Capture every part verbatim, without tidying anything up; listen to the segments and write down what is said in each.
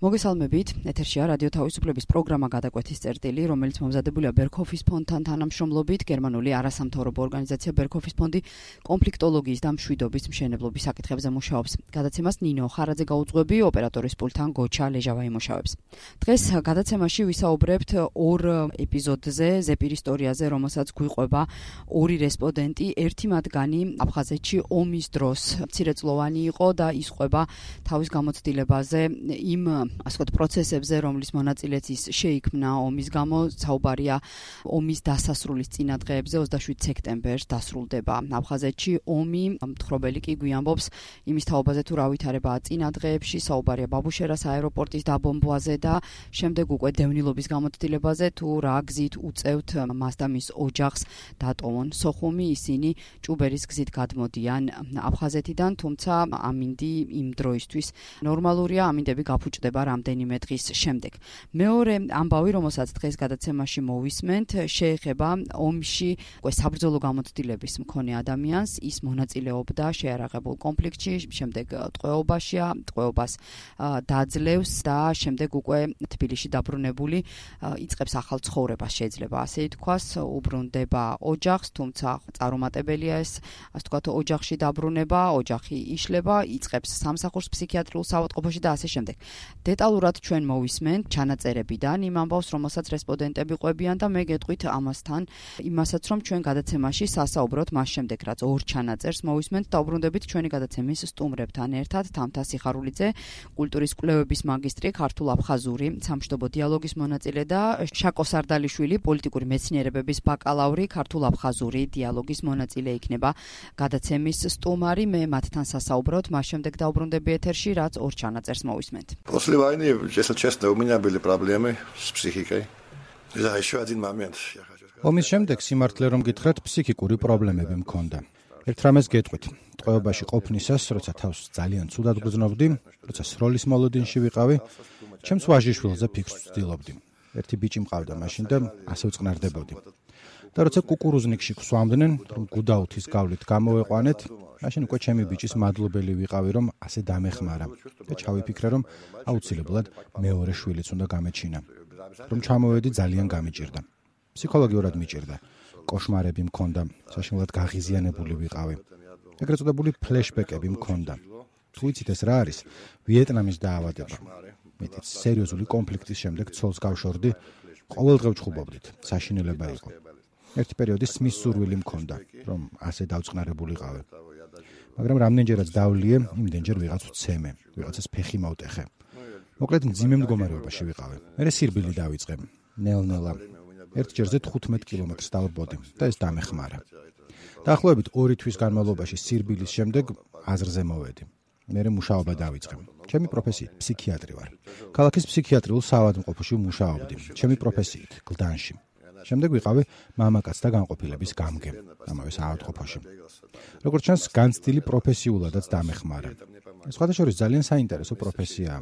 მოგესალმებით, ეთერშია რადიო თავისუფლების პროგრამა გადაკვეთის წერტილი, რომელიც მომზადებულია ბერქოფის ფონდთან თანამშრომლობით. გერმანული არასამთავრობო ორგანიზაცია ბერქოფის ფონდი კონფლიქტოლოგიის და მშვიდობის მშენებლობის საკითხებზე მუშაობს. გადაცემას ნინო ხარაძე გაუძღვები, ოპერატორის პულტთან გოჩა ლეჟავა იმუშავებს. დღეს გადაცემაში ვისაუბრებთ ორ ეპიზოდზე, ზეპირ ისტორიაზე, რომელსაც გვიყვება ორი რესპონდენტი. ერთი მათგანი აფხაზეთში ომის დროს მცირეწლოვანი იყო და ისყვება თავის გამოცდილებაზე იმ ასე ვთქვათ პროცესებზე, რომლის მონაწილეც ის შეიქმნა ომის გამო. საუბარია ომის დასასრულის წინადღეებზე. ოცდაშვიდ სექტემბერს დასრულდება აფხაზეთში ომი. მთხრობელი კი გვიამბობს იმის თაობაზე, თუ რა ვითარებაა წინადღეებში. საუბარია ბაბუშერას აეროპორტის დაბომბვაზე და შემდეგ უკვე დევნილობის გამოცდილებაზე, თუ რა გზით უწევთ მას და მის ოჯახს დატოვონ სოხუმი. ისინი ჭუბერის გზით გადმოდიან აფხაზეთიდან, თუმცა ამინდი იმ დროისთვის ნორმალურია, ამინდები გაფუჭდება რამდენიმე დღის შემდეგ. მეორე ამბავი, რომელსაც დღეს გადაცემაში მოვისმენთ, შეეხება ომში უკვე საბრძოლო გამოცდილების მქონე ადამიანს. ის მონაწილეობდა შეარაღებულ კონფლიქტში, შემდეგ ტყვეობაშია, ტყვეობას დაძლევს და შემდეგ უკვე თბილისში დაბრუნებული იწყებს ახალ ცხოვრებას, შეიძლება ასე ითქვას, უბრუნდება ოჯახს, თუმცა წარუმატებელია ეს, ასე ვთქვათ, ოჯახში დაბრუნება, ოჯახი იშლება, იწყებს სამსახურს ფსიქიატრიულ საავადმყოფოში და ასე შემდეგ. დეტალურად ჩვენ მოვისმენთ ჩანაწერებიდან იმ ამბავს, რომელსაც რესპონდენტები ყვებიან და მე გეტყვით ამასთან იმასაც, რომ ჩვენ გადაცემაში სასაუბროთ მას შემდეგ, რაც ორ ჩანაწერს მოვისმენთ და უბრუნდებით ჩვენი გადაცემის სტუმრებთან ერთად. თამთა სიხარულიძე, კულტურის კვლევების მაგისტრი, ქართულ-აფხაზური სამშვიდობო დიალოგის მონაწილე და შაკო სარდალიშვილი, პოლიტიკური მეცნიერებების ბაკალავრი, ქართულ-აფხაზური диалогის монაწილე იქნება გადაცემის სტუმარი. მე მათთან სასაუბროთ, მას შემდეგ დაუბრუნდები ეთერში, რაც ორ чанаწერს მოვისმენთ. После войны, если честно, у меня были проблемы с психикой. Да, еще один момент я хочу сказать. ომის შემდეგ სიმართლე რომ გითხრათ, ფსიქიკური პრობლემები მქონდა. ერთ რამეს გეტყვით, ტყვეობაში ყოფნისას, როცა თავს ძალიან ცუდად გრძნობდი, როცა სროლის მოლოდინში ვიყავი, ჩემს ვაჟიშვილზე ფიქრს ვცდილობდი. ერთი ბიჭი მყავდა მაშინ და ასე ვწყნარდებოდი. და როცა კუკურუზნიკში გვსვამდნენ, რომ გუდაუთის გავლით გამოვეყვანეთ, მაშინ უკვე ჩემი ბიჭის მადლობელი ვიყავი, რომ ასე დამეხმარა და ჩავიფიქრე, რომ აუცილებლად მეორე შვილიც უნდა გამეჩინა. რომ ჩამოვედი, ძალიან გამიჭირდა. ფსიქოლოგიურად მიჭირდა. კოშმარები მქონდა, საშინელად გაღიზიანებული ვიყავი. ეგრეთ წოდებული ფლეშბეკები მქონდა. თუ იცით ეს რა არის? ვიეტნამის დაავადება. მეტიც სერიოზული კონფლიქტის შემდეგ ცოლს გავშორდი, ყოველდღე ვჩხუბობდით, საშინელება იყო. ერთი პერიოდი სმის სურვილი მქონდა, რომ ასე დავწყნარებულიყავი. მაგრამ რამდენჯერაც დავლიე, იმდენჯერ ვიღაც ვცემე, ვიღაცას ფეხი მოვტეხე. მოკლედ მძიმე მდგომარეობაში ვიყავი. მერე სირბილი დავიწყე, ნელ-ნელა. ერთ ჯერზე თხუთმეტ კილომეტრს დავბოდი და ეს დამეხმარა. დაახლოებით ორი თვის განმავლობაში სირბილის შემდეგ აზრზე მოვედი. მერე მუშაობა დავიწყე. ჩემი პროფესიით ფსიქიატრი ვარ. ქალაქის ფსიქიატრიულ საავადმყოფოში მუშაობდი. ჩემი პროფესიით გლდანში. შემდეგ ვიყავი მამაკაც და განყოფილების გამგე ამავე საავადმყოფოში. როგორც ჩანს, განცდილი პროფესიულადაც დამეხმარა. ეს სხვადასხვა ძალიან საინტერესო პროფესიაა.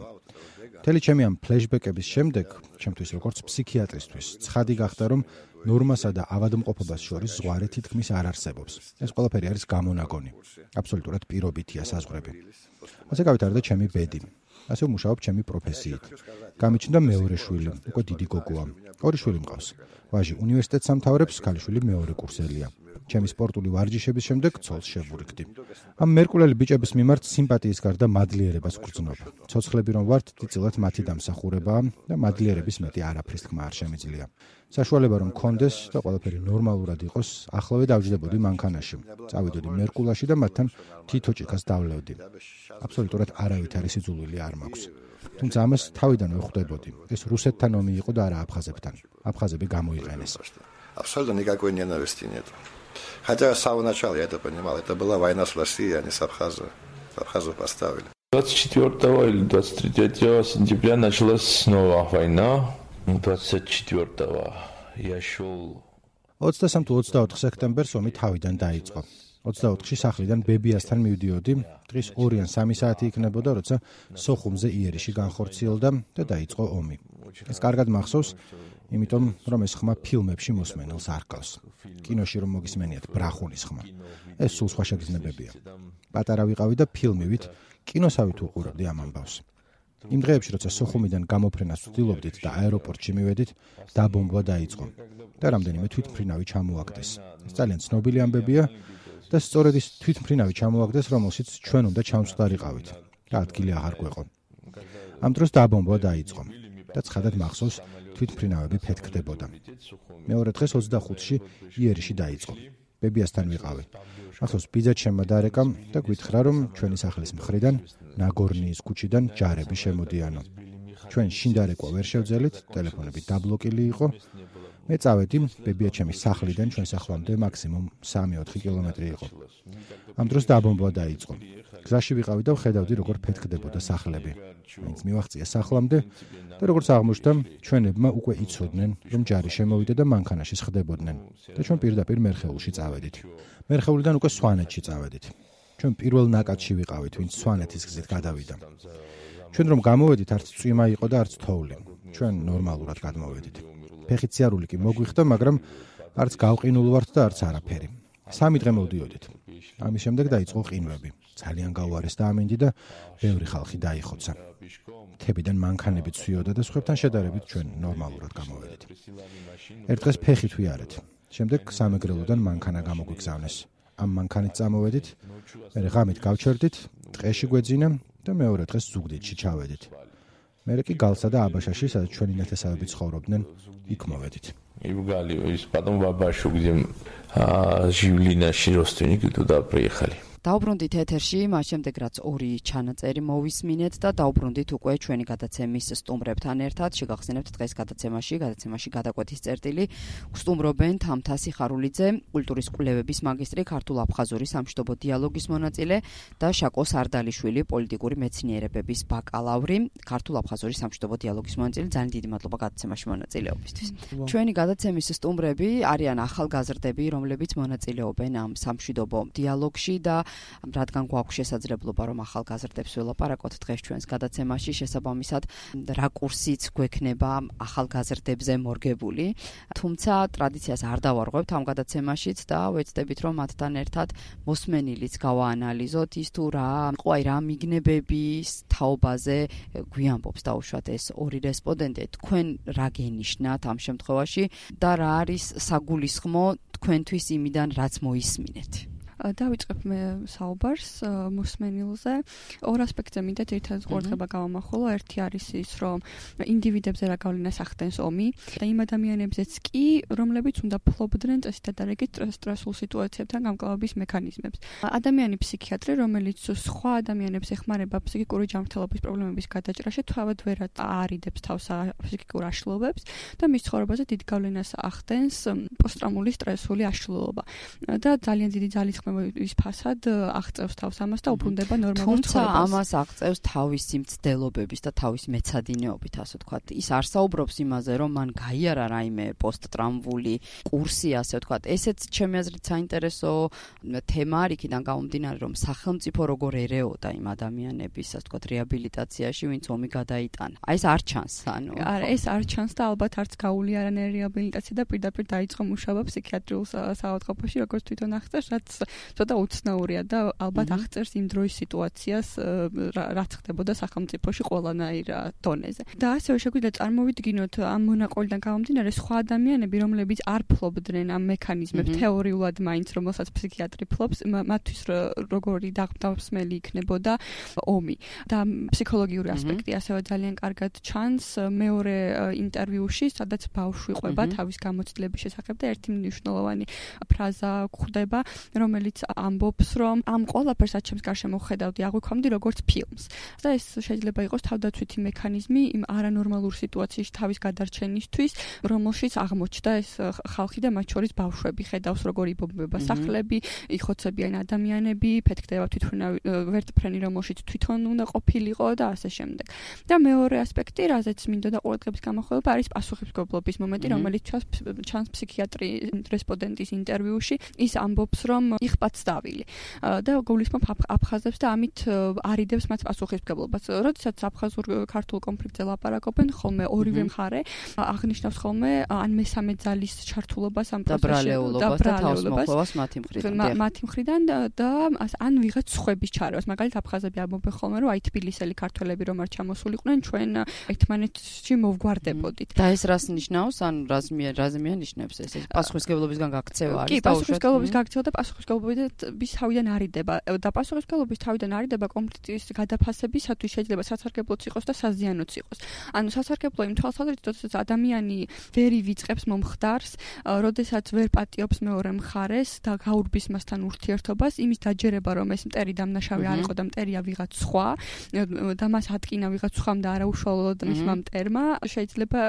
მთელი ჩემი ამ ფლეშბეკების შემდეგ, ჩემთვის როგორც ფსიქიატრისთვის, ცხადი გახდა, რომ ნორმასა და ავადმყოფობას შორის ზღვარი თითქმის არ არსებობს. ეს ყველაფერი არის გამონაგონი. აბსოლუტურად პირობითია საზღვრები. ასე გავიტარდა ჩემი ბედი. ასე ვმუშაობ ჩემი პროფესიით. გამიჩნდა მეორე შვილი, უკვე დიდი გოგოა. ორი შვილი მყავს. ვაჟი უნივერსიტეტს ამთავრებს, ქალიშვილი მეორე კურსელია. ჩემი სპორტული ვარჯიშების შემდეგ ცოლს შევურიგდი. ამ მერკულელი ბიჭების მიმართ სიმპათიის გარდა მადლიერებას ვგრძნობ. ცოცხლები რომ ვართ, დიდწილად მათი დამსახურებაა და მადლიერების მეტი არაფრის თქმა არ შემიძლია. საშუალება რომ მქონდეს და ყველაფერი ნორმალურად იყოს, ახლავე დავჯდებოდი მანქანაში. წავიდოდი მერკულაში და მათთან თითო ჭიქას დავლევდი. აბსოლუტურად არავითარი სიძულვილი არ მაქვს. თუმცა ამას თავიდანვე ხვდებოდი. ეს რუსეთთან ომი იყო და არა აფხაზებთან. აფხაზები გამოიყენეს. Абсолютно никакой ненависти нет. Хотя с самого начала я это понимал. Это была война с Россией, они с Абхазом. Абхазов поставили. двадцать четвёртого или двадцать третьего сентября началась снова война. двадцать четвёртого я шел. ოცდასამ თუ ოცდაოთხ სექტემბერს ომი თავიდან დაიწყო. ოცდაოთხში სახლიდან ბებიასთან მივდიოდი, დღის ორი ან სამი საათი იქნებოდა, როცა სოხუმზე იერიში განხორციელდა და დაიწყო ომი. ეს კარგად მახსოვს, იმიტომ რომ ეს ხმა ფილმებში მოსმენელს არ ჰგავს. კინოში რომ მოგისმენიათ ბრახუნის ხმა. ეს სულ სხვა შეგრძნებებია. პატარა ვიყავი და ფილმივით, კინოსავით უყურებდი ამ ამბავს. იმ დღეებში, როცა სოხუმიდან გამოფრენას ვცდილობდით და აეროპორტში მივედით, დაბომბვა დაიწყო და რამდენიმე თვითმფრინავი ჩამოაგდეს. ეს ძალიან ცნობილი ამბებია და სწორედ ის თვითმფრინავი ჩამოაგდეს, რომელშიც ჩვენ უნდა ჩამსხდარიყავით და ადგილი აღარ გვეყო. ამ დროს დაბომბვა დაიწყო და ცხადად მახსოვს თვითმფრინავები ფეთქდებოდა. მეორე დღეს ოცდახუთში იერიში დაიწყო. ბებიასთან ვიყავი. ახლა ბიძა ჩემმა დარეკამ და გვითხრა, რომ ჩვენი სახლის მხრიდან ნაგორნიის ქუჩიდან ჯარები შემოდიანო. ჩვენ შინდარეკვა ვერ შევძელით, ტელეფონები დაბლოკილი იყო. მე წავედი ბებია ჩემის სახლიდან ჩვენ სახლამდე მაქსიმუმ სამი ოთხი კილომეტრი იყო. ამ დროს დაბომბვა დაიწყო. გზაში ვიყავი და ვხედავდი, როგორ ფეთქდებოდა სახლები. მაინც მივაღწია სახლამდე და როგორც აღმოჩნდა, ჩვენებმა უკვე იცოდნენ, რომ ჯარი შემოვიდა და მანქანაში სხდებოდნენ და ჩვენ პირდაპირ მერხეულში წავედით. მერხეულიდან უკვე სვანეთში წავედით. ჩვენ პირველ ნაკადში ვიყავით, ვინც სვანეთის გზით გადავიდა. ჩვენ რომ გამოვედით, არც წვიმა იყო და არც თოვლი. ჩვენ ნორმალურად გადმოვედით. ფეხით სიარული კი მოგვიხდა, მაგრამ არც გავყინულ ვართ და არც არაფერი. სამი დღე მოვდიოდით. ამის შემდეგ დაიწყო ყინვები. ძალიან გაუარესდა ამინდი და ბევრი ხალხი დაიხოცა. მთებიდან მანქანები ცვიოდა და სხვებთან შედარებით ჩვენ ნორმალურად გამოვედით. ერთ დღეს ფეხით ვიარეთ. შემდეგ სამეგრელოდან მანქანა გამოგვიგზავნეს. ამ მანქანით წამოვედით, მერე ღამით გავჩერდით, ტყეში გვეძინა და მეორე დღეს ზუგდიდში ჩავედით. მერე კი გალსა და აბაშაში, სადაც ჩვენი ნათესავები ცხოვრობდნენ, იქ მოვედით. Ивгали, из потом бабашу, где ჟივლინაში როსტინიკი туда приехали. დაუბრუნდით ეთერში, მას შემდეგ რაც ორი ჩანაწერი მოვისმინეთ და დაუბრუნდით უკვე ჩვენი გადაცემის სტუმრებთან ერთად. შეგახსენებთ დღეს გადაცემაში, გადაცემაში გადაკვეთის წერტილი გსტუმრობენ თამთა სიხარულიძე, კულტურის კვლევების მაგისტრი, ქართულ-აფხაზური სამშვიდობო დიალოგის მონაწილე და შაკო სარდალიშვილი, პოლიტიკური მეცნიერებების ბაკალავრი, ქართულ-აფხაზური სამშვიდობო დიალოგის მონაწილე. ძალიან დიდი მადლობა გადაცემაში მონაწილეობისთვის. ჩვენი გადაცემის სტუმრები არიან ახალგაზრდები, რომლებიც მონაწილეობენ ამ სამშვიდობო დიალოგში და რადგან გვაქვს შესაძლებლობა რომ ახალგაზრდებს ველაპარაკოთ დღეს ჩვენს გადაცემაში, შესაბამისად რაკურსიც გვექნება ახალგაზრდებზე მორგებული, თუმცა ტრადიციას არ დავარღვევთ ამ გადაცემაშიც და ვეცდებით რომ მათთან ერთად მოსმენილიც გავაანალიზოთ ის თუ რა იყო აი რა მიგნებების თაობაზე გვიამბობს დაუშვათ ეს ორი რესპონდენტი, თქვენ რა გენიშნათ ამ შემთხვევაში და რა არის საგულისხმო თქვენთვის იმიდან რაც მოისმინეთ? დავიწყებ მე საუბარს მოსმენილზე. ორ ასპექტზე მინდა ერთად ყურადღება გავამახვილო. ერთი არის ის, რომ ინდივიდებზე რა გავლენას ახდენს ომი და იმ ადამიანებზეც კი, რომლებიც უნდა ფლობდნენ წესით და დარეგით სტრესულ სიტუაციებთან გამკლავების მექანიზმებს. ადამიანი ფსიქიატრი, რომელიც სხვა ადამიანებს ეხმარება ფსიქიკური ჯანმრთელობის პრობლემების გადაჭრაში, თავად ვერ არიდებს თავს ფსიქიკურ აშლილობებს და მის ცხოვრებაზე დიდ გავლენას ახდენს პოსტტრაუმული სტრესული აშლილობა. და ძალიან დიდი ძალისხმევა ის ფასად აღწევს თავს ამას და უბრუნდება ნორმალურ ცხოვრებას. თუმცა ამას აღწევს თავისი მცდელობების და თავის მეცადინეობით, ასე ვთქვათ. ის არ საუბრობს იმაზე, რომ მან გაიარა რაიმე პოსტტრაუმული კურსი, ასე ვთქვათ. ესეც ჩემი აზრით საინტერესო თემა არის, იქიდან გამომდინარე, რომ სახელმწიფო როგორ ერეოდა იმ ადამიანების, ასე ვთქვათ, რეაბილიტაციაში, ვინც ომი გადაიტანა. აი ეს არ ჩანს, ანუ. არა, ეს არ ჩანს და ალბათ არც გაული არანაირი რეაბილიტაცია და პირდაპირ დაიწყო მუშაობა ფსიქიატრიულ საავადმყოფოში, როგორც თვითონ აღწერს, რაც ცოტა უცნაურია და ალბათ აღწერს იმ დროის სიტუაციას, რაც ხდებოდა სახელმწიფოში ყველანაირ დონეზე. და ასევე შეგვიძლია წარმოვიდგინოთ ამ მონაყოლიდან გამომდინარე სხვა ადამიანები, რომლებიც არ ფლობდნენ ამ მექანიზმებს თეორიულად მაინც, რომელსაც ფსიქიატრი ფლობს, მათთვის როგორი დაღმდასმელი იქნებოდა ომი. და ფსიქოლოგიური ასპექტი ასევე ძალიან კარგად ჩანს მეორე ინტერვიუში, სადაც ბავშვი ყვება თავის გამოცდილების შესახებ და ერთი მნიშვნელოვანი ფრაზა გვხვდება, რომელიც ამბობს, რომ ამ ყველაფერს რაც ჩემს გარშემო ხედავდი, აღვიქვამდი როგორც ფილმს. და ეს შეიძლება იყოს თავდაცვითი მექანიზმი იმ არანორმალურ სიტუაციაში თავის გადარჩენისთვის, რომელშიც აღმოჩნდა ეს ხალხი და მათ შორის ბავშვები. ხედავს როგორ იბომბება სახლები, იხოცებიან ადამიანები, ფეთქდება თვითმფრინავი ვერტმფრენი, რომელშიც თვითონ უნდა ყოფილიყო და ასე შემდეგ. და მეორე ასპექტი, რაზეც მინდოდა ყურადღების გამახვილება, არის პასუხისმგებლობის მომენტი, რომელიც ჩანს ფსიქიატრი რესპონდენტის ინტერვიუში. ის ამბობს, რომ მიღწევს დავილი. და გულისხმობ აფხაზებს და ამით არიდებს მათ პასუხისმგებლობას. როდესაც აფხაზურ ქართულ კონფლიქტზე ლაპარაკობენ, ხოლმე ორივე მხარე აღნიშნავს ხოლმე ან მესამე ძალის ჩართულობას ამ პროცესში და ბრალეულობას მათი მხრიდან. მათი მხრიდან და ან ვიღაც სხვების ჩარევას. მაგალითად აფხაზები ამბობენ ხოლმე, რომ აი თბილისელი ქართველები რომ არ ჩამოსულიყვნენ, ჩვენ ერთმანეთში მოვგვარდებოდით. და ეს რას ნიშნავს? ან რას რაზე მიანიშნებს ეს? ეს პასუხისმგებლობისგან გაქცევა არის? კი, პასუხისმგებლობის გაქცევა და პასუხისმგებლობის თავიდან არიდება. და პასუხისმგებლობის თავიდან არიდება კონფლიქტის გადაფასებისათვის შეიძლება სასარგებლოც იყოს და საზიანოც იყოს. ანუ სასარგებლო იმ თვალსაზრისით, როდესაც ადამიანი ვერ ივიწყებს მომხდარს, როდესაც ვერ პატიობს მეორე მხარეს და გაურბის მასთან ურთიერთობას, იმის დაჯერება, რომ ეს მტერი დამნაშავე არ იყო და მტერია ვიღაც სხვა და მას ატკინა ვიღაც სხვამ და არაუშუალოდ მისმა მტერმა, შეიძლება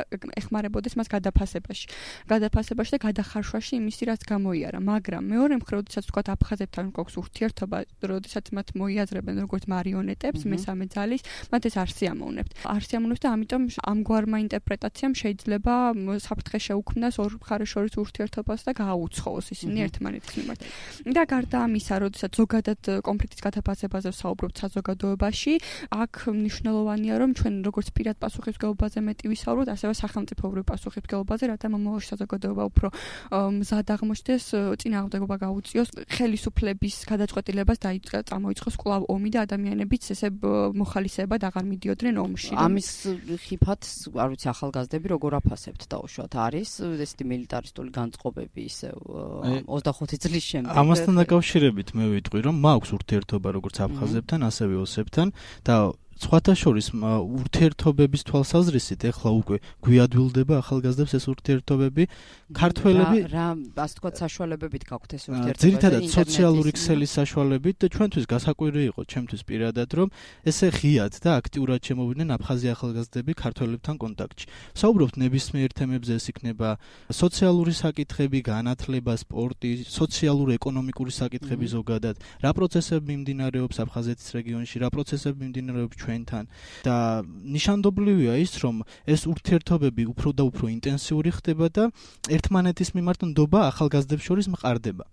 ეხმარებოდეს მას გადაფასებაში. გადაფასებაში და გადახარშვაში იმისი, რაც გამოიარა. მაგრამ მეორე მხრივ, როდესაც თქვა აფხაზებთან გვაქვს ურთიერთობა, როდესაც მათ მოიაზრებენ როგორც მარიონეტებს, მესამე ძალის, მათ ეს არ სიამოვნებთ. არ სიამოვნებთ და ამიტომ ამგვარმა ინტერპრეტაციამ შეიძლება საფრთხე შეუქმნას ორ მხარეს შორის ურთიერთობას და გააუცხოოს ისინი ერთმანეთის მიმართ. და გარდა ამისა, როდესაც ზოგადად კონფლიქტის გადაფასებაზე ვსაუბრობთ საზოგადოებაში, აქ მნიშვნელოვანია, რომ ჩვენ როგორც პირად პასუხისმგებლობაზე მეტი ვისაუბროთ, ასევე სახელმწიფოებრივ პასუხისმგებლობაზე, რათა მომავალში საზოგადოება უფრო მზად აღმოჩნდეს, წინააღმდეგობა გაუწიოს, ხელისუფლების გადაწყვეტილებას წამოიწყოს კვლავ ომი და ადამიანებიც ესე მოხალისეებად აღარ მიდიოდნენ ომში. ამის ხიფად, არ ვიცი, ახალგაზრდები როგორ აფასებთ დაუშვათ? არის ესეთი მილიტარისტული განწყობები ისევ ოცდახუთი წლის შემდეგ? ამასთან დაკავშირებით მე ვიტყვი, რომ მაქვს ურთიერთობა როგორც აფხაზებთან, ასევე ოსებთან და სხვათა შორის ურთიერთობების თვალსაზრისით ეხლა უკვე გვიადვილდება ახალგაზრდებს ეს ურთიერთობები. ქართველები რა ასე თქვა საშუალებებით გაქვთ ეს ურთიერთობა? ძირითადად სოციალური ქსელის საშუალებით და ჩვენთვის გასაკვირი იყო, ჩემთვის პირადად, რომ ესე ღიად და აქტიურად შემოვიდნენ აფხაზი ახალგაზრდები ქართველებთან კონტაქტში. საუბრობთ ნებისმიერ თემებზე, ეს იქნება სოციალური საკითხები, განათლება, სპორტი, სოციალურ-ეკონომიკური საკითხები ზოგადად, რა პროცესები მიმდინარეობს აფხაზეთის რეგიონში, რა პროცესები მიმდინარეობს ჩვენთან და ნიშანდობლივია ის, რომ ეს ურთიერთობები უფრო და უფრო ინტენსიური ხდება და ერთმანეთის მიმართ ნდობა ახალგაზრდებს შორის მყარდება.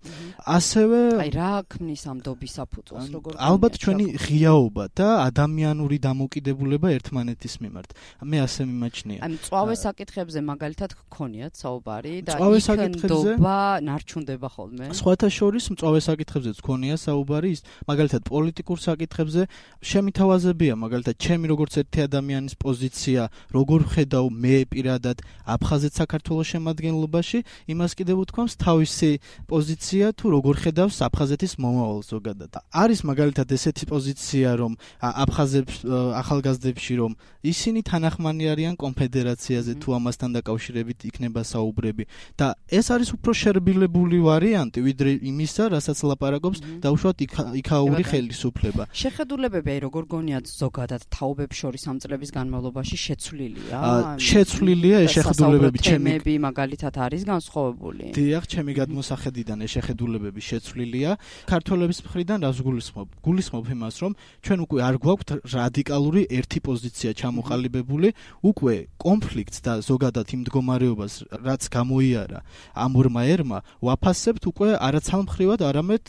ასევე აი რა ქმნის ამ ნდობის საფუძველს, როგორ ალბათ ჩვენი ღიაობა და ადამიანური დამოკიდებულება ერთმანეთის მიმართ. მე ასე მიმაჩნია. აი მწვავე საკითხებზე მაგალითად გქონიათ საუბარი და იქ ნდობა ნარჩუნდება ხოლმე. სხვათა შორის მწვავე საკითხებზეც გქონია საუბარი, ის მაგალითად პოლიტიკურ საკითხებზე შემითავაზებია, მაგალითად ჩემი როგორც ერთი ადამიანის პოზიცია, როგორ ხედავ მე პირადად აფხაზეთ საქართველოს შემადგენლობაში, იმას კიდევ უთქვამს თავისი პოზიცია თუ როგორ ხედავს აფხაზეთის მომავალს ზოგადად. არის მაგალითად ესეთი პოზიცია, რომ აფხაზებს ახალგაზრდებში, რომ ისინი თანახმანი არიან კონფედერაციაზე თუ ამასთან დაკავშირებით იქნება საუბრები და ეს არის უფრო შერბილებული ვარიანტი, ვიდრე იმისა, რასაც ლაპარაკობს დაუშვათ იქაური ხელისუფლება. შეხედულებები აი როგორ გონიათ ზოგადად თაობებს შორის ამ წლების განმავლობაში შეცვლილია? შეცვლილია ეს შეხედულებები, ჩემი მაგალითად არის განსხვავებული. დიახ, ჩემი გადმოსახედიდან ეს შეხედულებები შეცვლილია. ქართველების მხრიდან რას გულისხმობ? გულისხმობ იმას, რომ ჩვენ უკვე არ გვაქვთ რადიკალური ერთი პოზიცია ჩამოყალიბებული, უკვე კონფლიქტს და ზოგადად იმ მდგომარეობას, რაც გამოიარა ამ ორმა ერმა, ვაფასებთ უკვე არაცალმხრივად, არამედ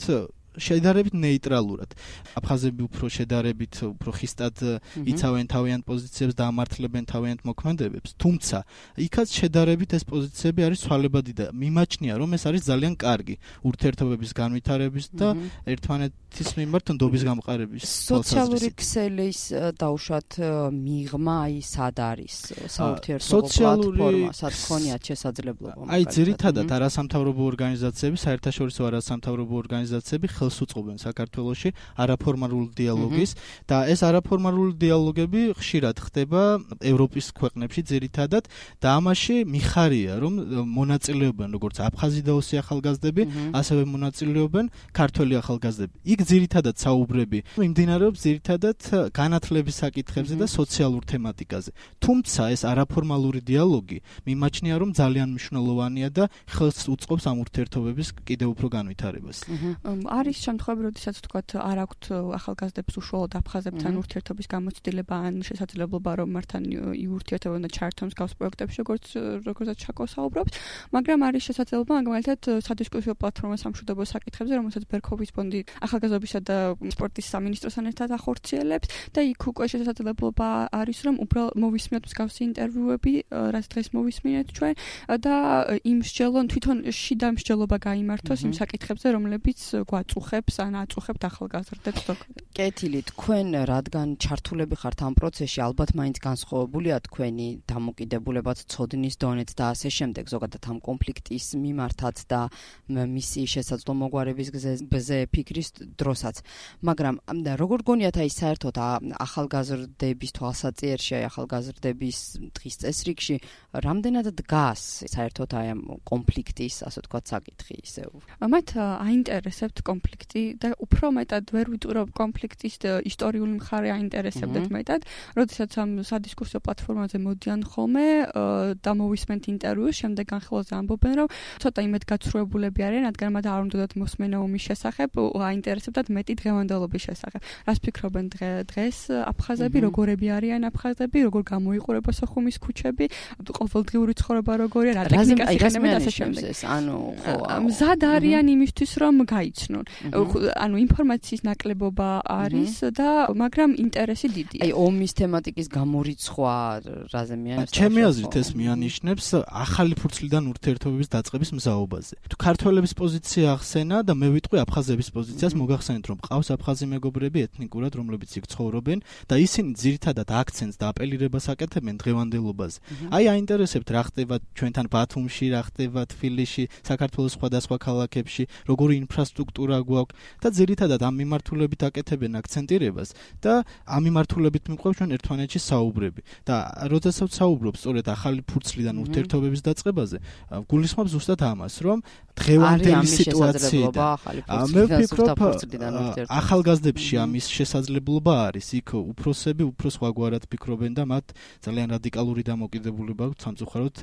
შედარებით ნეიტრალურად. აფხაზები უფრო შედარებით უფრო ხისტად იცავენ თავიანთ პოზიციებს და ამართლებენ თავიანთ მოქმედებებს, თუმცა იქაც შედარებით ეს პოზიციები არის ცვალებადი და მიმაჩნია, რომ ეს არის ძალიან კარგი ურთიერთობების განვითარების და ერთმანეთის მიმართ ნდობის გამყარების. სოციალური ქსელის დაუშვათ მიღმა აი სად არის საურთიერთობო პლატფორმა, სად ქონიათ შესაძლებლობა? აი ძირითადად არასამთავრობო ორგანიზაციები, საერთაშორისო არასამთავრობო ორგანიზაციები ხელს უწყობენ საქართველოში არაფორმალურ დიალოგის და ეს არაფორმალური დიალოგები ხშირად ხდება ევროპის ქვეყნებში ძირითადად და ამაში მიხარია, რომ მონაწილეობენ როგორც აფხაზი და ოსი ახალგაზრდები, ასევე მონაწილეობენ ქართველი ახალგაზრდები. იქ ძირითადად საუბრები მიმდინარეობს ძირითადად განათლების საკითხებზე და სოციალურ თემატიკაზე. თუმცა ეს არაფორმალური დიალოგი მიმაჩნია, რომ ძალიან მნიშვნელოვანია და ხელს უწყობს ამ ურთიერთობების კიდევ უფრო განვითარებას. არის არის შემთხვევები, როდესაც თქვათ არ აქვთ ახალგაზრდებს უშუალოდ აფხაზებთან ურთიერთობის გამოცდილება ან შესაძლებლობა რომ მართან იურთიერთებონ და ჩართონ მსგავს პროექტებში, როგორც როგორცაც ჩაკო საუბრობს, მაგრამ არის შესაძლებლობა მაგალითად სადისკუსიო პლატფორმა სამშვიდობო საკითხებზე, რომელსაც ბერქოფის ფონდი ახალგაზრდობისა და სპორტის სამინისტროსთან ერთად ახორციელებს და იქ უკვე შესაძლებლობა არის რომ უბრალოდ მოვისმინოთ მსგავსი ინტერვიუები, რაც დღეს მოვისმინეთ ჩვენ და იმ მსჯელონ თვითონ შიდა მსჯელობა გაიმართოს იმ საკითხებზე, რომლებიც გვაწუხებს ან აწუხებთ ახალგაზრდებს. კეთილი, თქვენ რადგან ჩართულები ხართ ამ პროცესში, ალბათ მაინც განსხვავებულია თქვენი დამოკიდებულებაც ცოდნის დონეც და ასე შემდეგ, ზოგადად ამ კონფლიქტის მიმართაც და მისი შესაძლო მოგვარების გზაზე ფიქრის დროსაც. მაგრამ როგორ გონიათ აი საერთოდ ახალგაზრდების თვალსაჩინოში, ახალგაზრდების დღის წესრიგში რამდენად დგას საერთოდ აი ამ კონფლიქტის, ასე ვთქვათ, საკითხი ისევ? მათ აინტერესებთ კონფლიქტი და უფრო მეტად ვერ ვიტყვირობ კონფლიქტის ისტორიული მხარე აინტერესებდეთ მეტად, როდესაც ამ სადისკუსიო პლატფორმაზე მოდიან ხოლმე და მოვისმენთ ინტერვიუს, შემდეგ განხილვაზე ამბობენ, რომ ცოტა იმედგაცრუებულები არიან, რადგან მათ არ უნდათ მოსმენა ომის შესახებ, აინტერესებდათ მეტი დღევანდელობის შესახებ. რას ფიქრობენ დღეს აფხაზები, როგორები არიან აფხაზები, როგორ გამოიყურება სოხუმის ქუჩები, ყოველდღიური ცხოვრება როგორია, რა ტექნიკას იყენებენ და ასე შემდეგ. ანუ ხო, მზად არიან იმისთვის, რომ გაიცნონ. ანუ ინფორმაციის ნაკლებობა არის და მაგრამ ინტერესი დიდია. აი ომის თემატიკის გამორიცხვა რაზე მიანიშნებს? ჩემი აზრით ეს მიანიშნებს ახალი ფურცლიდან ურთიერთობების დაწყების მზაობაზე. თუ ქართველების პოზიცია ახსენა და მე ვიტყვი აფხაზების პოზიციას, მოგახსენეთ რომ ყავს აფხაზი მეგობრები ეთნიკურად, რომლებიც იქ ცხოვრობენ და ისინი ძირითადად აქცენტს და აპელირებას აკეთებენ დღევანდელობაზე. აი აინტერესებთ რა ხდება ჩვენთან ბათუმში, რა ხდება თბილისში, საქართველოს სხვადასხვა ქალაქებში, როგორი ინფრასტრუქტურა გვაქვს და ძირითადად ამ მიმართულებით აკეთებენ აქცენტირებას და ამ მიმართულებით მიყვევს ჩვენ ერთმანეთში საუბრები. და როდესაც საუბრობ სწორედ ახალი ფურცლიდან ურთიერთობების დაწყებაზე, გულისხმობ ზუსტად ამას, რომ დღევანდელი სიტუაციიდან მე ვფიქრობ ახალგაზრდებში ამის შესაძლებლობა არის, იქ უფროსები უფრო სხვაგვარად ფიქრობენ და მათ ძალიან რადიკალური დამოკიდებულება აქვს სამწუხაროდ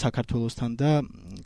საქართველოსთან და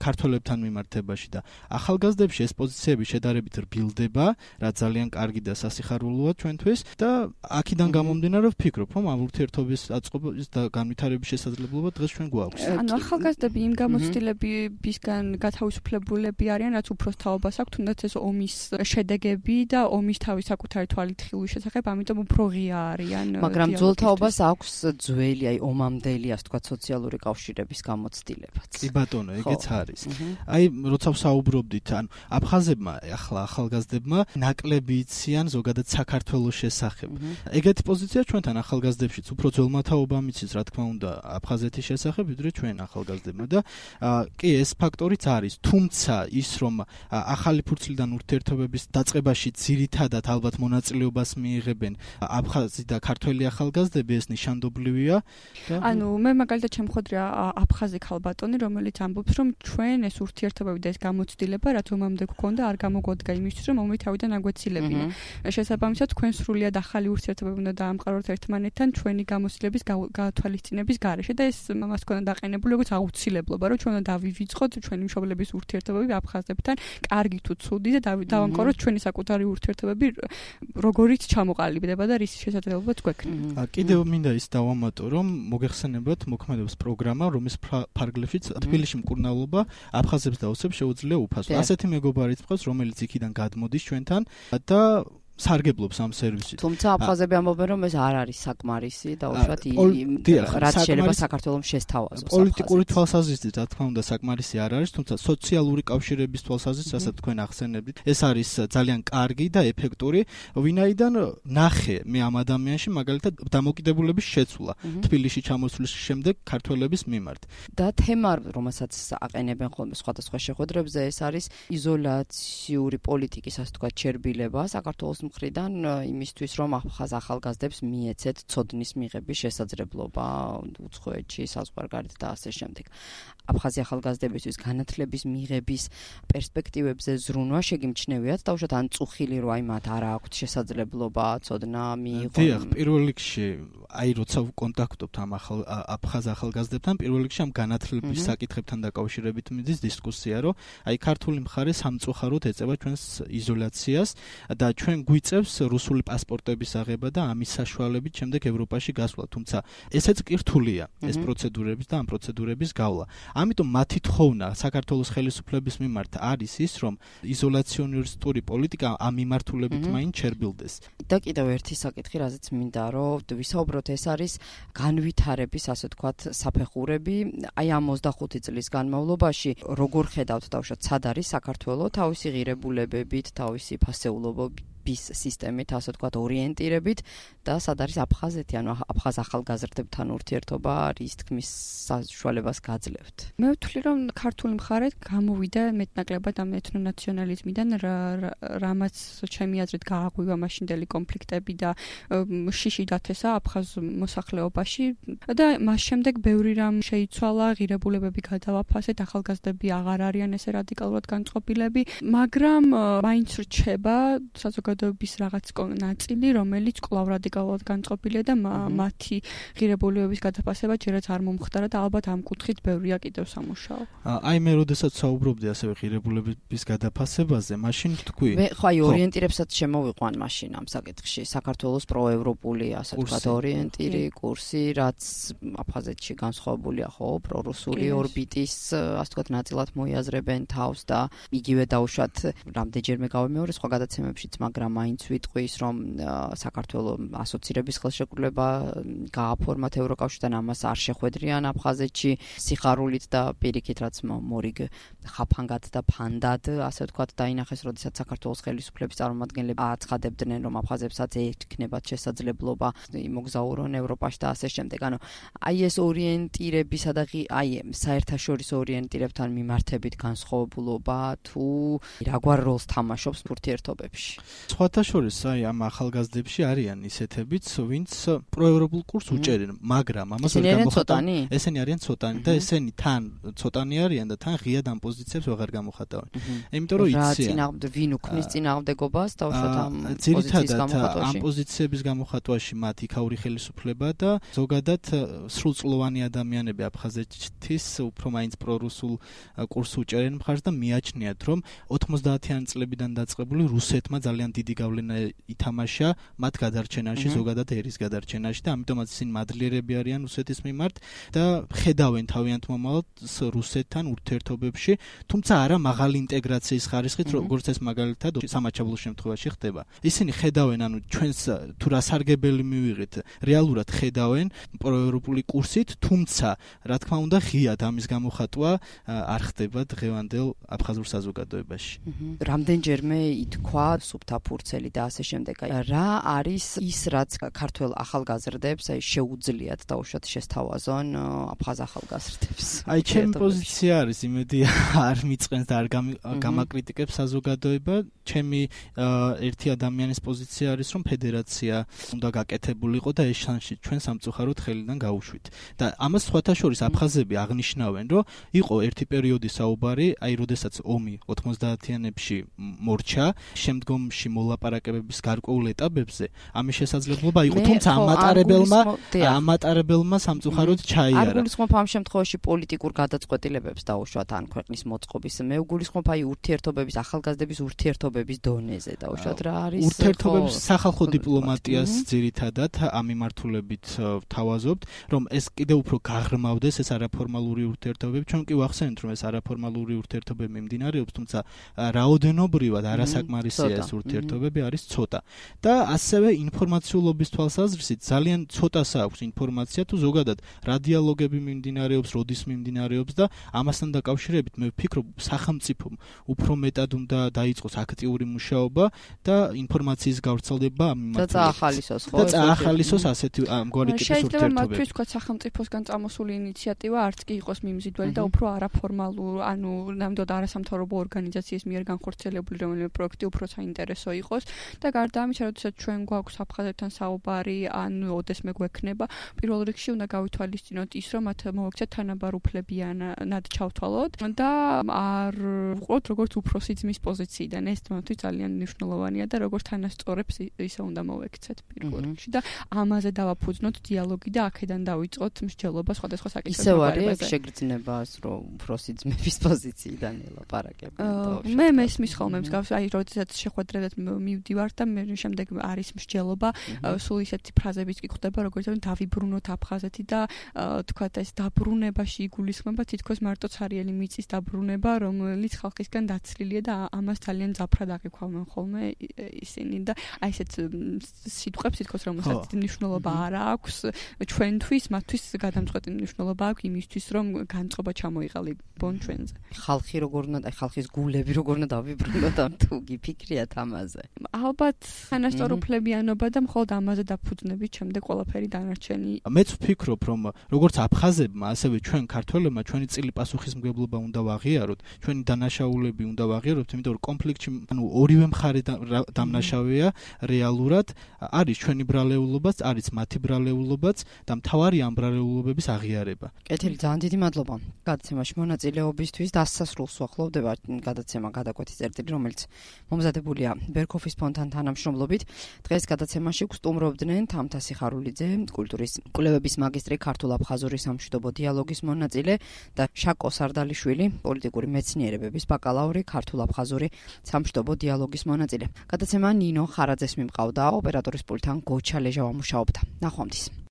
ქართველებთან მიმართებაში და ახალგაზრდებში ეს პოზიციები შედარებით რბილდება, რაც ძალიან კარგი და სასიხარულოა ჩვენთვის და აქედან გამომდინარე ვფიქრობ, რომ ამ ურთიერთობის აწყობის და განვითარების შესაძლებლობა დღეს ჩვენ გვაქვს. ანუ ახალგაზრდები იმ გამოცდილებისგან გათავისუფლებულები არიან, რაც უფროს თაობას აქვს, თუნდაც ეს ომის შედეგები და ომის თავის საკუთარი თვალით ხილვის შესახებ, ამიტომ უფრო ღია არიან. მაგრამ ძველთაობას აქვს ძველი, აი ომამდელი, ასე ვთქვათ, სოციალური კავშირების გამოცდილებაც. კი ბატონო, ეგეც არის. აი, როცა ვსაუბრობდით, ანუ აფხაზებმა, ახლა ახალგაზრდებმა ნაკლები იციან ზოგადად საქართველოს შესახებ. ეგეთი პოზიცია ჩვენთან ახალგაზრდებშიც უფრო ძველმათაობა მიცის, რა თქმა უნდა, აფხაზეთის შესახებ, ვიდრე ჩვენ ახალგაზრდებმა და კი ეს ფაქტორიც არის, თუმცა ის რომ ახალი ფურცლიდან ურთიერთობების დაწყებაში ძირითადად ალბათ მონაწილეობას მიიღებენ აფხაზი და ქართველი ახალგაზრდები, ეს ნიშანდობლივია. ანუ მე მაგალითად შემხვედრია აფხაზი ქალბატონი, რომელიც ამბობს, რომ ჩვენ ეს ურთიერთობები და ეს გამოცდილება, რაც ომამდე გვქონდა, არ გამოგვადგა იმისთვის, რომ ომი თავიდან აგვეცილებინა. შესაბამისად, თქვენ სრულიად ახალი ურთიერთობები უნდა დაამყაროთ ერთმანეთთან ჩვენი გამოცდილების გათვალისწინების გარეშე და ეს მას ქონდა დაყენებული როგორც აუცილებლობა, რომ ჩვენ უნდა დავივიწყოთ ჩვენი მშობლების ურთიერთობები აფხაზებთან, კარგი თუ ცუდი და დავამყაროთ ჩვენი საკუთარი ურთიერთობები, როგორიც ჩამოყალიბდება და რის შესაძლებლობაც გვექნება. კიდევ მინდა ის დავამატო, რომ მოგეხსენებათ მოქმედებს პროგრამა, რომლის ფარგლებშიც თბილისში მკურნალობა აფხაზებს და ოსებს შეუძლია უფასო. ასეთი მეგობარიც მყავს, რომელიც იქიდან გადმოდის ჩვენთან და სარგებლობს ამ სერვისით. თუმცა აფხაზები ამბობენ, რომ ეს არ არის საკმარისი და უშუალოდ რაც შეიძლება საქართველოს შესთავაზოს. პოლიტიკური თვალსაზრისით, რა თქმა უნდა, საკმარისი არ არის, თუმცა სოციალური კავშირების თვალსაზრისით, რასაც თქვენ ახსენებდით, ეს არის ძალიან კარგი და ეფექტური, ვინაიდან ნახე მე ამ ადამიანში მაგალითად დამოკიდებულების შეცვლა თბილისში ჩამოსვლის შემდეგ ქართველების მიმართ. და თემა, რომელსაც აყენებენ ხოლმე სხვადასხვა შეხვედრებზე, ეს არის იზოლაციური პოლიტიკის, ასე ვთქვათ, ჩერბილება საქართველოს მხრიდან იმისთვის, რომ ახალგაზრდებს მიეცეთ ცოდნის მიღების შესაძლებლობა უცხოეთში, საზღვარგარეთ და ასე შემდეგ. აფხაზი ახალგაზრდებისთვის განათლების მიღების პერსპექტივებზე ზრუნვა შეგიმჩნევიათ და უშუალოდ ან წუხილი რომ აი მათ არ აქვთ შესაძლებლობა ცოდნა მიიღონ. დიახ, პირველ რიგში აი როცა ვკონტაქტობთ ამ ახალ აფხაზ ახალგაზრდებთან, პირველ რიგში ამ განათლების საკითხებთან დაკავშირებით მიდის დისკუსია, რომ აი ქართული მხარე სამწუხაროდ ეწევა ჩვენს იზოლაციას და ჩვენ გვიწევს რუსული პასპორტების აღება და ამის საშუალებით შემდეგ ევროპაში გასვლა, თუმცა ესეც კი რთულია ეს პროცედურების და ამ პროცედურების გავლა. ამიტომ მათი თხოვნა საქართველოს ხელისუფლების მიმართ არის ის, რომ იზოლაციონისტური პოლიტიკა ამ მიმართულებით მაინც ჩერბილდეს. და კიდევ ერთი საკითხი, რაზეც მინდა რომ ვისაუბროთ, ეს არის განვითარების, ასე ვთქვათ, საფეხურები. აი ამ ოცდახუთი წლის განმავლობაში როგორ ხედავთ დავშოთ, სად არის საქართველო თავისი ღირებულებებით, თავისი ფასეულობებით სისტემით, ასე ვთქვათ, ორიენტირებით და სად არის აფხაზეთი, ანუ აფხაზ ახალგაზრდებთან ურთიერთობა არის თქმის საშუალებას გაძლევთ. მე ვთვლი, რომ ქართული მხარე გამოვიდა მეტნაკლებად ამ ეთნონაციონალიზმიდან, რამაც ჩემი აზრით გააღვივა მაშინდელი კონფლიქტები და შიში დათესა აფხაზ მოსახლეობაში და მას შემდეგ ბევრი რამ შეიცვალა, ღირებულებები გადავაფასეთ, ახალგაზრდები აღარ არიან ესე რადიკალურად განწყობილები, მაგრამ მაინც რჩება საზოგადოების რაღაც ნაწილი, რომელიც კვლავ რადიკალურად განწყობილია და მათი ღირებულებების გადაფასება ჯერაც არ მომხდარა და ალბათ ამ კუთხით ბევრია კიდევ სამუშაო. აი მე როდესაც საუბრობდი ასევე ღირებულებების გადაფასებაზე, მაშინ თქვი. მე ხო აი ორიენტირებსაც შემოვიყვან მაშინ ამ საკითხში, საქართველოს პროევროპული, ასე ვთქვათ, ორიენტირი კურსი, რაც აფხაზეთში განსხვავებულია, ხო, პრორუსული ორბიტის, ასე ვთქვათ, ნაწილად მოიაზრებენ თავს და იგივე დაუშვათ რამდენჯერმე გავიმეორე სხვა გადაცემებშიც, მაგრამ მაინც ვიტყვის, რომ საქართველოს ასოცირების ხელშეკრულება გააფორმათ ევროკავშირთან, ამას არ შეხვედრიან აფხაზეთში სიხარულით და პირიქით, რაც მორიგ ხაფანგად და ფანდად, ასე ვთქვათ, დაინახეს, როდესაც საქართველოს ხელისუფლების წარმომადგენლები აცხადებდნენ, რომ აფხაზებსაც ექნებათ შესაძლებლობა იმოგზაურონ ევროპაში და ასე შემდეგ. ანუ აი ეს ორიენტირებისა და აი საერთაშორისო ორიენტირებთან მიმართებით განსხვავებულობა თუ რაგვარ როლს თამაშობს ურთიერთობებში? სხვათა შორის აი ამ ახალგაზრდებში არიან ისეთებიც, ვინც პროევროპულ კურსს უჭერენ, მაგრამ ამას ვერ გამოხატავენ. ესენი არიან ცოტანი და ესენი თან ცოტანი არიან და თან ღიად ამ პოზიციებს ვეღარ გამოხატავენ. იმიტომ რომ იციან. რა წინააღმდეგ ვინ უქმნის წინააღმდეგობას დავუშვათ ამ პოზიციის გამოხატვაში? ამ პოზიციების გამოხატვაში მათ იქაური ხელისუფლება და ზოგადად სრულწლოვანი ადამიანები აფხაზეთის უფრო მაინც პრორუსულ კურსს უჭერენ მხარს და მიაჩნიათ, რომ ოთხმოცდაათიანი წლებიდან დაწყებული რუსეთმა ძალიან დიდი გავლენა ითამაშა მათ გადარჩენაში, ზოგადად ერის გადარჩენაში და ამიტომაც ისინი მადლიერები არიან რუსეთის მიმართ და ხედავენ თავიანთ მომავალს რუსეთთან ურთიერთობებში, თუმცა არა მაღალი ინტეგრაციის ხარისხით, როგორც ეს მაგალითად სამაჩაბლოს შემთხვევაში ხდება. ისინი ხედავენ, ანუ ჩვენს თუ რა სარგებელი მივიღეთ, რეალურად ხედავენ პროევროპული კურსით, თუმცა რა თქმა უნდა ღიად ამის გამოხატვა არ ხდება დღევანდელ აფხაზურ საზოგადოებაში. რამდენჯერმე ითქვა სუფთა ფურცელი და ასე შემდეგ. რა არის ის, რაც ქართველ ახალგაზრდებს აი შეუძლიათ დაუშვათ შესთავაზონ აფხაზ ახალგაზრდებს? აი ჩემი პოზიცია არის, იმედი არ მიწყენს და არ გამაკრიტიკებს საზოგადოება. ჩემი ერთი ადამიანის პოზიცია არის, რომ ფედერაცია უნდა გაკეთებულიყო და ეს შანსი ჩვენ სამწუხაროდ ხელიდან გაუშვით. და ამას სხვათა შორის აფხაზები აღნიშნავენ, რომ იყო ერთი პერიოდი საუბარი, აი როდესაც ომი ოთხმოცდაათიანებში მორჩა, შემდგომში მოლაპარაკებების გარკვეულ ეტაპებზე ამის შესაძლებლობა იყო, თუმცა ამატარებელმა ამატარებელმა სამწუხაროდ ჩაიარა. არ გულისხმობ ამ შემთხვევაში პოლიტიკურ გადაწყვეტილებებს დაუშვათ ან ქვეყნის მოწყობის, მე ვგულისხმობ აი ურთიერთობების, ახალგაზრდების ურთიერთობების დონეზე დაუშვათ რა არის ურთიერთობების სახალხო დიპლომატიას ძირითადად ამ მიმართულებით ვთავაზობთ, რომ ეს კიდევ უფრო გაღრმავდეს ეს არაფორმალური ურთიერთობები. ჩვენ კი ვახსენეთ, რომ ეს არაფორმალური ურთიერთობები მიმდინარეობს, თუმცა რაოდენობრივად არასაკმარისია ეს ურთიერთობები არის ცოტა. და ასევე ინფორმაციულობის თვალსაზრისით ძალიან ცოტას აქვს ინფორმაცია თუ ზოგადად რა დიალოგები მიმდინარეობს, როდის მიმდინარეობს და ამასთან დაკავშირებით მე ვფიქრობ, სახელმწიფომ უფრო მეტად უნდა დაიწყოს აქტიური მუშაობა და ინფორმაციის გავრცელება ამ მიმართულებით. და წაახალისოს, ხო? და წაახალისოს ასეთი ამგვარი ტიპის ურთიერთობები. შეიძლება მათთვის თქვა სახელმწიფოსგან წამოსული ინიციატივა არც კი იყოს მიმზიდველი და უფრო არაფორმალური, ანუ ნამდვილად არასამთავრობო ორგანიზაციის მიერ განხორციელებული რომელიმე პროექტი უფრო საინტერესო იყოს და გარდა ამისა, როდესაც ჩვენ გვაქვს აფხაზებთან საუბარი, ან ოდესმე გვექნება, პირველ რიგში უნდა გავითვალისწინოთ ის, რომ მათ მოვექცეთ თანაბარ უფლებიანად ჩავთვალოთ და არ ვყოთ როგორც უფროსი ძმის პოზიციიდან. ეს თვითონ ძალიან მნიშვნელოვანია და როგორც თანასწორებს ისე უნდა მოვექცეთ პირველ რიგში და ამაზე დავაფუძნოთ დიალოგი და აქედან დავიწყოთ მსჯელობა სხვადასხვა საკითხებზე. ისევ არის შეგრძნებას, რომ უფროსი ძმების პოზიციიდან ელაპარაკებენ. მე მესმის ხოლმე მსგავს, აი როდესაც შეხვედრებად მივდივარ და მე შემდეგ არის მსჯელობა, სულ ისეთი ფრაზებიც კი ხდება, როგორც რომ დავიბრუნოთ აფხაზეთი და თქვათ ეს დაბრუნებაში იგულისხმება თითქოს მარტო ცარიელი მიწის დაბრუნება, რომელიც ხალხისგან დაცლილია და ამას ძალიან ძაფრად აღიქვამენ ხოლმე ისინი და აი ესეთ სიტყვებს თითქოს რომელსაც მნიშვნელობა არ აქვს ჩვენთვის, მათთვის გადამწყვეტი მნიშვნელობა აქვს იმისთვის, რომ განწყობა ჩამოიყალიბონ ჩვენზე. ხალხი როგორ უნდა, აი ხალხის გულები როგორ უნდა დავიბრუნოთ ამ თუ გიფიქრიათ ამაზე. ალბათ თანასწორ უფლებიანობა და მხოლოდ ამაზე დაფუძნებით შემდეგ ყველაფერი დანარჩენი. მეც ვფიქრობ, რომ როგორც აფხაზებმა, ასევე ჩვენ ქართველებმა ჩვენი წილი პასუხისმგებლობა უნდა ვაღიაროთ, ჩვენი დანაშაულები უნდა ვაღიაროთ, იმიტომ რომ კონფლიქტში ანუ ორივე მხარე დამნაშავეა რეალურად, არის ჩვენი ბრალეულობაც, არის მათი ბრალეულობაც და მთავარი ამ ბრალეულობების აღიარება. კეთილი, ძალიან დიდი მადლობა გადაცემაში მონაწილეობისთვის. დასასრულს ვახლოვდება გადაცემა გადაკვეთის წერტილი, რომელიც მომზადებულია ბერქოფის ფონდთან თანამშრომლობით. დღეს გადაცემაში გვსტუმრობდნენ თამთასი ხარულიძე, კულტურის კვლევების მაგისტრი, ქართულ-აფხაზური სამშვიდობო დიალოგის მონაწილე და შაკო სარდალიშვილი, პოლიტიკური მეცნიერებების ბაკალავრი, ქართულ-აფხაზური სამშვიდობო დიალოგის მონაწილე. გადაცემა ნინო ხარაძეს მიმყავდა, ოპერატორის პულტთან გოჩა ლეჟა ვამუშაობდა. ნახვამდის.